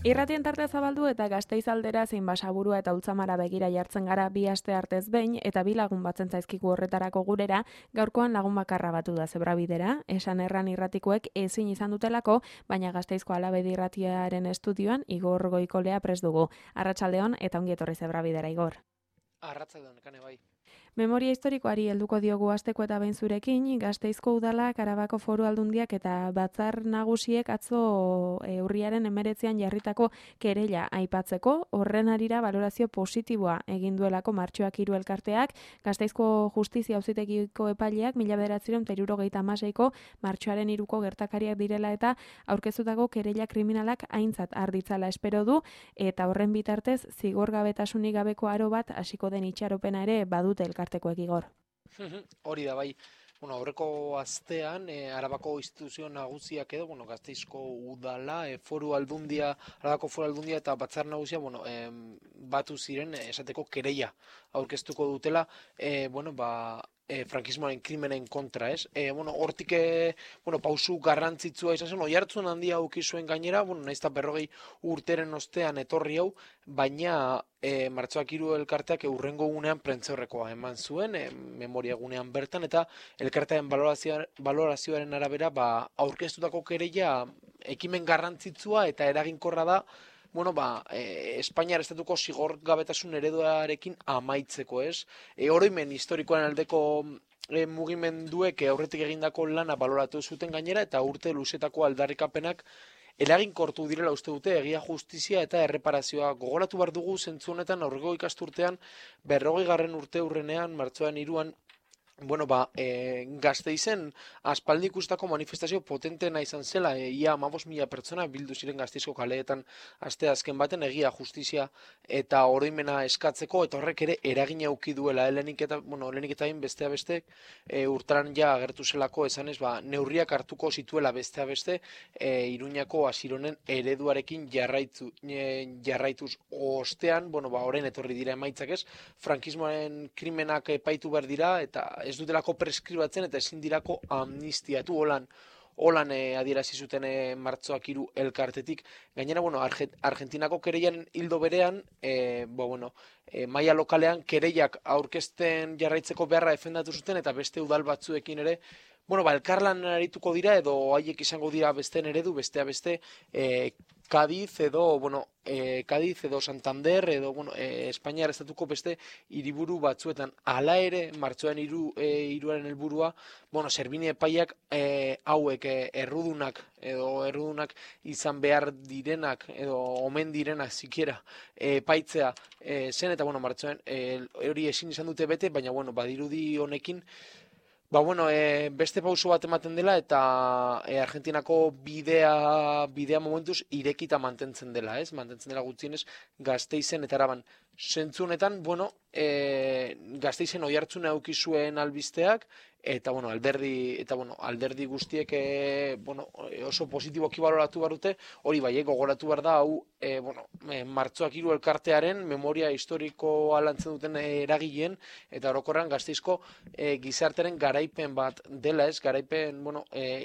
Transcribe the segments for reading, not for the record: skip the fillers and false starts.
Irratien tarte zabaldu eta Gasteiz aldera zein Basaburua eta Ultzamara begira jartzen gara bi aste artez behin eta bi lagun batzen zaizkigu horretarako gurera, gaurkoan lagun bakarra batu da zebrabidera, esan erran irratikoek ezin izan dutelako, baina Gasteizko Alabedi irratiaren estudioan Igor Goikolea prest dugu. Arratsaldeon eta ongi etorri zebrabidera, Igor. Arratsaldeon, Kane bai. Memoria historikoari helduko diogu asteko eta behin zurekin, Gasteizko Udalak, Arabako Foru Aldundiak eta Batzar Nagusiek atzo urriaren 19an jarritako kereila aipatzeko, horren harira balorazio positiboa egin duelako Martxoak 3 elkarteak, Gasteizko Justizia Auzitegiko epaileak 1976ko Martxoaren 3ko gertakariak direla eta aurkeztutako kereila kriminalak aintzat har ditzala espero du, eta horren bitartez zigorgabetasunik gabeko aro bat hasiko den itxaropena ere badute elkartekoek, Igor. Hori da bai. Aurreko astean Arabako instituzio nagusiak edo, Gasteizko Udala, Foru Aldundia, Arabako Foru Aldundia eta Batzar Nagusia, batu ziren esateko kereila aurkeztuko dutela, frankismoaren krimenen kontra, ez? Hortik, pausu garrantzitsua izan zen, oihartzun handia auki zuen gainera, nahiz eta 40 urteren ostean etorri hau, baina Martxoak 3 elkarteak hurrengo gunean prentzaurrekoa eman zuen, memoria gunean bertan, eta elkartearen balorazioaren arabera, aurkeztutako kereila ekimen garrantzitsua eta eraginkorra da, Espainiar estatuko zigorgabetasun ereduarekin amaitzeko, ez? Oroimen historikoaren aldeko mugimenduek aurretik egindako lana baloratu zuten gainera eta urte luzetako aldarrikapenak eraginkortu direla uste dute egia, justizia eta erreparazioa. Gogoratu behar dugu zentzu honetan aurreko ikasturtean 40. urte hurrenean, martxoaren 3an, Gasteizen aspaldi ikustako manifestazio potentena izan zela, ia 15.000 pertsona bildu ziren Gasteizko kaleetan aste azken baten egia, justizia eta oroimena eskatzeko, eta horrek ere eragina eduki duela, lehenik eta besteak beste, urtaran ja agertu zelako esanez, neurriak hartuko zituela besteak beste, Iruñako Asironen ereduarekin jarraituz ostean, orain etorri dira emaitzak ez, frankismoaren krimenak epaitu behar dira, eta ez dutelako preskribatzen eta ezin dirako amnistiatu holan adierazi zuten Martxoak 3 elkartetik. Gainera, Argentinako kereian hildo berean, maila lokalean kereiak aurkezten jarraitzeko beharra defendatu zuten eta beste udal batzuekin ere, elkarlan arituko dira edo haiek izango dira besteen eredu, bestea beste, Cádiz edo Santander edo Espainiar estatuko beste hiriburu batzuetan. Hala ere, Martxoaren 3aren helburua, Servini epaiak hauek errudunak izan behar direnak edo omen direnak zikiera epaitzea zen, eta Martxoaren hori ezin izan dute bete, baina badirudi honekin beste pauso bat ematen dela eta Argentinako bidea momentuz irekita mantentzen dela, ez? Mantentzen dela gutxienez Gasteizen eta Araban. Zentzu honetan, Gasteizen oihartzuna eduki zuen albisteak, eta alderdi guztiek oso positiboki baloratu behar dute, hori bai, gogoratu behar da, hau Martxoak 3 elkartearen memoria historikoa lantzen duten eragileen, eta orokorrean Gasteizko gizartearen garaipen bat dela, ez? Garaipen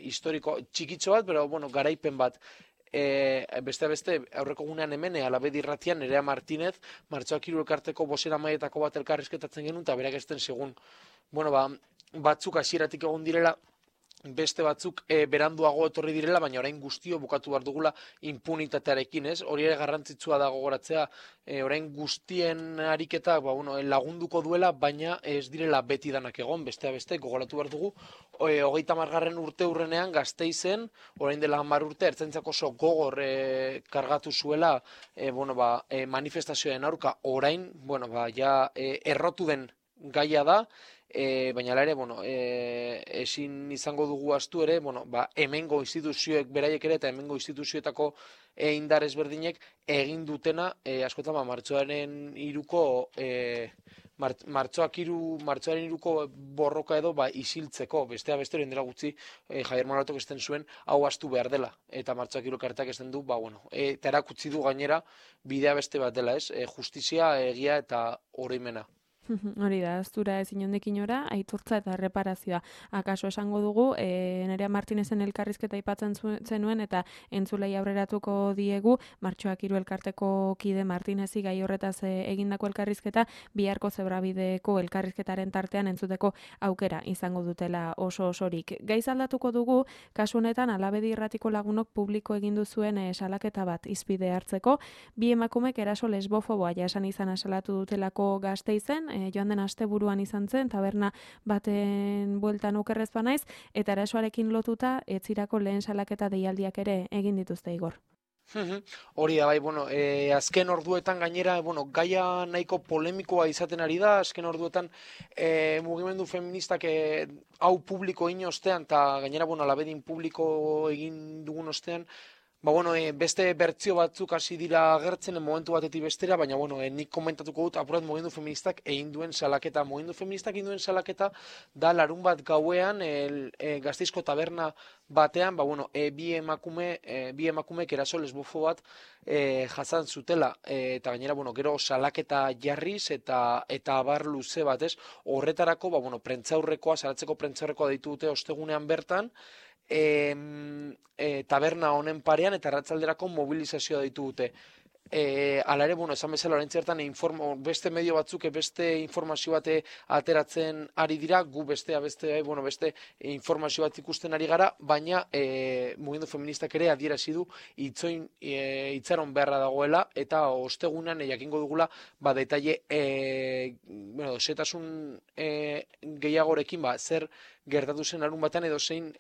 historiko txikitxo bat, pero garaipen bat. Beste aurreko gunean hemen Alabedi irratian Nerea Martínez Martxoak 3 elkarteko bozeramailetako bat elkarrizketatzen genuen eta berak esten segun batzuk hasieratik egon direla, beste batzuk beranduago etorri direla, baina orain guztio bukatu behar dugula impunitatearekin, ez? Hori ere garrantzitsua da gogoratzea, orain guztien ariketa lagunduko duela, baina ez direla beti danak egon, beste gogoratu behar dugu, 30. urte hurrenean Gasteizen, orain dela 10 urte, ertzaintzak oso gogor kargatu zuela manifestazioen aurka, orain, errotu den gaia da, baina ere, ezin izango dugu astu ere, hemengo instituzioek beraiek ere eta hemengo instituzioetako indar ezberdinek egin dutena, askotan Martxoaren 3ko Martxoaren 3ko borroka edo isiltzeko, bestea beste hori dela gutxi Javier Moratok esten zuen hau astu behar dela, eta Martxoak 3 elkarteak esten du, eta erakutsi du gainera bidea beste bat dela, ez? Justizia, egia eta oroimena. Hori da, aztura ez inondik inora, aitortza eta erreparazioa. Akaso esango dugu, Nerea Martinezen elkarrizketa aipatzen zenuen eta entzulei aurreratuko diegu, Martxoak 3 elkarteko kide Martinezi gai horretaz egindako elkarrizketa, biharko Zebrabideko elkarrizketaren tartean entzuteko aukera izango dutela oso osorik. Gaiz aldatuko dugu, kasu honetan Alabedi Irratiko lagunok publiko egin duzuen salaketa bat izpide hartzeko, bi emakumek eraso lesbofoboa jasan izana salatu dutelako Gasteizen, joan den asteburuan izan zen, taberna baten bueltan okerrez banaiz, eta erasoarekin lotuta etzirako lehen salaketa deialdiak ere egin dituzte Igor. Hori da, bai, bueno, azken orduetan gainera, bueno, gaia nahiko polemikoa izaten ari da, azken orduetan mugimendu feministak hau publiko egin ostean, eta gainera, bueno, Alabedin publiko egin dugun ostean, ba, bueno, beste bertsio batzuk hasi dira agertzen momentu batetik bestera, baina, bueno, nik komentatuko dut, apurat mugimendu feministak egin duen salaketa. Mugimendu feministak egin duen salaketa da larun bat gauean, Gasteizko taberna batean, ba, bueno, bi emakumek eraso lesbofo bat jasan zutela, eta gainera, bueno, gero salaketa jarriz eta abar luze bat, ez? Horretarako, ba, bueno, prentzaurrekoa, salatzeko prentzaurrekoa deitu dute ostegunean bertan, taberna honen parean eta arratsalderako mobilizazioa deitu dute. Hala ere, bueno, esan bezala orain zertan beste medio batzuk beste informazio bate ateratzen ari dira, gu beste informazio bat ikusten ari gara, baina mugimendu feministak ere adierazi du itxaron beharra dagoela eta ostegunean jakingo dugula ba detaile zetasun gehiagorekin ba zer gertatu zen larun batean edo zein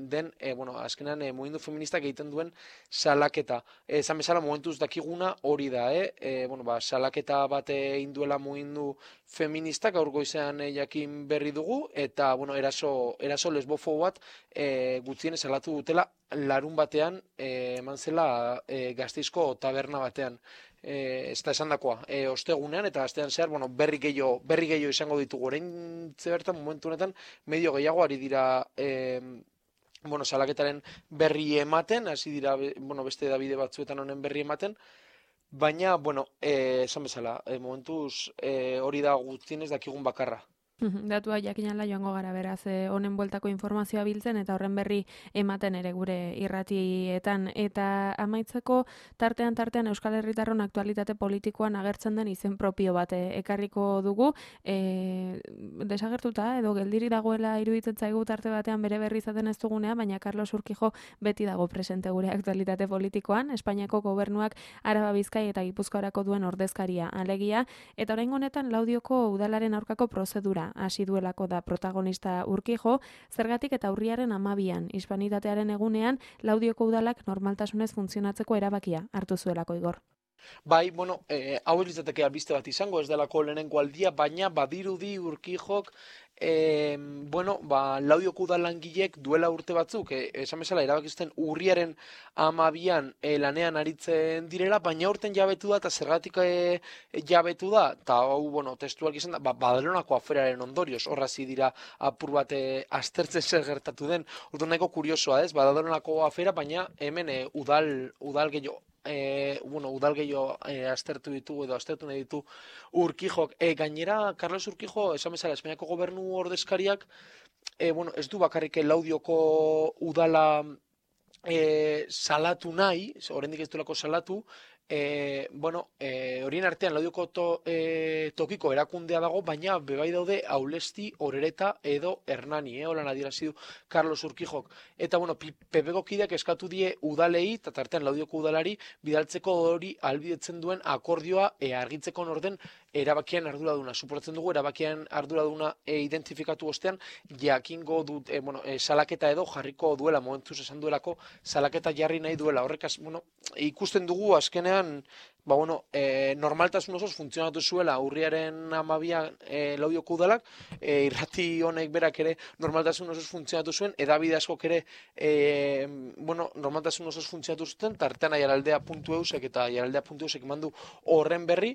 den, azkenean mugimendu feministak egiten duen salaketa. Esan bezala momentuz dakiguna hori da, salaketa bat egin duela mugimendu feministak gaur goizean jakin berri dugu, eta eraso lesbofo bat gutxienez salatu dutela larun batean eman zela Gasteizko taberna batean. Ez da esan dakoa, ostegunean eta astean zehar, berri gehiago izango ditugu. Orain bertan momentu honetan medio gehiago ari dira salaketaren berri ematen, hasi dira beste edabide batzuetan honen berri ematen, baina, esan bezala, momentuz hori da gutxienez dakigun bakarra. Datua jakinala joango gara beraz, honen bueltako informazioa biltzen eta horren berri ematen ere gure irratietan. Eta amaitzeko tartean Euskal Herritarron aktualitate politikoan agertzen den izen propio bat ekarriko dugu. Desagertuta edo geldiri dagoela iruditzen zaigu tarte batean bere berri izaten ez dugunea, baina Carlos Urquijo beti dago presente gure aktualitate politikoan. Espainiako gobernuak Araba, Bizkai eta Gipuzkoarako duen ordezkaria alegia, eta oraingo honetan Laudioko udalaren aurkako prozedura hasi duelako da protagonista Urquijo, zergatik eta urriaren 12an, hispanitatearen egunean, Laudioko udalak normaltasunez funtzionatzeko erabakia hartu zuelako Igor. Bai, hau izateke albiste bat izango, ez delako lehenengo aldia, baina badirudi Urquijok Laudioko udalangilek duela urte batzuk, esan bezala erabakizten urriaren 12an lanean aritzen direla, baina urten jabetu da, eta zergatik jabetu da, eta hau, testuak izan da, Badalonako aferaren ondorioz, horrazi dira apur bat aztertzen zer gertatu den, urte nahiko kuriosoa ez, Badalonako afera, baina hemen udal gehiago, udal gehiago aztertu nahi ditu Urquijok. Gainera, Carlos Urquijo, esan bezala, Espainiako gobernu ordezkariak, ez du bakarrik Laudioko udala salatu nahi, oraindik ez duelako salatu, horien artean Laudioko tokiko erakundea dago, baina bebai daude Aulesti, Orereta edo Hernani, holan adierazi du Carlos Urquijok. Eta, PPko kideak eskatu die udalei, eta tartean Laudioko udalari, bidaltzeko hori ahalbidetzen duen akordioa argitzeko norden erabakian arduraduna. Suporatzen dugu, erabakian arduraduna identifikatu ostean, jakingo dut, salaketa edo jarriko duela, momentuz esan duelako, salaketa jarri nahi duela. Horrekaz, ikusten dugu azkenean, normaltasun osoz funtzionatu zuela urriaren 12an Laudioko udalak, irrati honek berak ere normaltasun osoz funtzionatu zuen, edabide askok ere normaltasun osoz funtzionatu zuten, tartean aiaraldea.eusek eta aiaraldea.eusek eman du horren berri,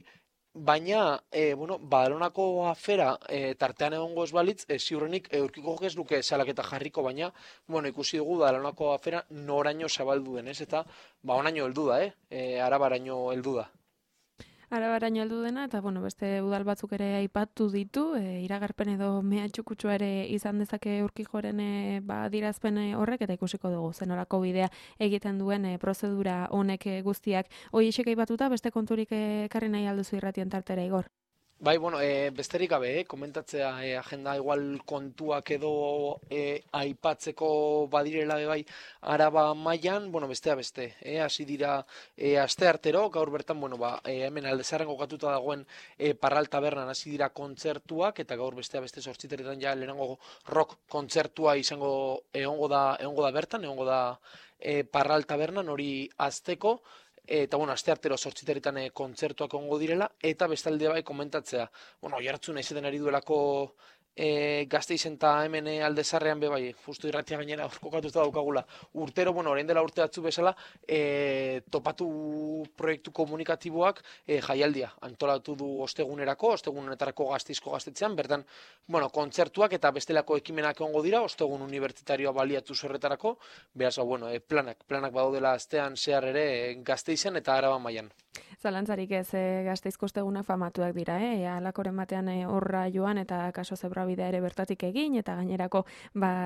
baina, Badalonako afera tartean egongo ez balitz, ziurrenik Urquijok ez luke salaketa jarriko, baina, ikusi dugu Badalonako afera noraino zabaldu den, ez? Eta, honaino heldu da, Arabaraino heldu da. Arabaraino heldu dena, eta bueno, beste udal batzuk ere aipatu ditu, iragarpen edo mehatxukutsu ere izan dezake Urkijoren adirazpen horrek, eta ikusiko dugu zenolako bidea egiten duen prozedura honek guztiak. Horiexek aipatuta, beste konturik ekarri nahi alduzu irratien tartera, Igor? Bai, bueno, besterik gabe, komentatzea agenda igual kontuak edo aipatzeko badirela be bai Araba mailan, bueno, bestea beste, hasi dira asteartero, gaur bertan, bueno, hemen Aldezarren kokatuta dagoen Parral Tabernan hasi dira kontzertuak, eta gaur bestea beste 8:00 ja lehenengo rock kontzertua egongo da bertan, egongo da Parral Tabernan hori azteko. Eta, bueno, asteartero 8:00 kontzertuak egongo direla, eta bestalde bai komentatzea. Bueno, oihartzuna izaten ari duelako Gasteizen eta hemen Aldezarrean be bai, justu irratia gainera hor kokatuta daukagula. Urtero, bueno, orain dela urte batzu bezala, topatu proiektu komunikatiboak jaialdia antolatu du ostegunerako honetarako Gasteizko gaztetxean, bertan, bueno, kontzertuak eta bestelako ekimenak egongo dira, ostegun unibertsitarioa baliatu horretarako, beraz, bueno, planak badaudela astean zehar ere Gasteizen eta Araba mailan. Zalantzarik ez, Gasteizko ostegunak famatuak dira, alakoren batean horra joan eta kaso zebrabidea ere bertatik egin, eta gainerako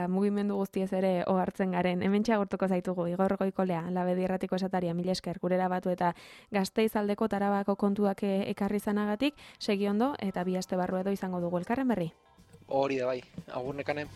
mugimendu guztiez ere ohartzen garen. Hemen txagortuko zaitugu, Igor Goikolea, Labedi Irratiko esataria, mila esker, gurera batu eta Gasteiz aldeko Arabako kontuak ekarri zanagatik, segi ondo, eta bi aste barru edo izango dugu elkarren berri. Hori da bai, agur nekane.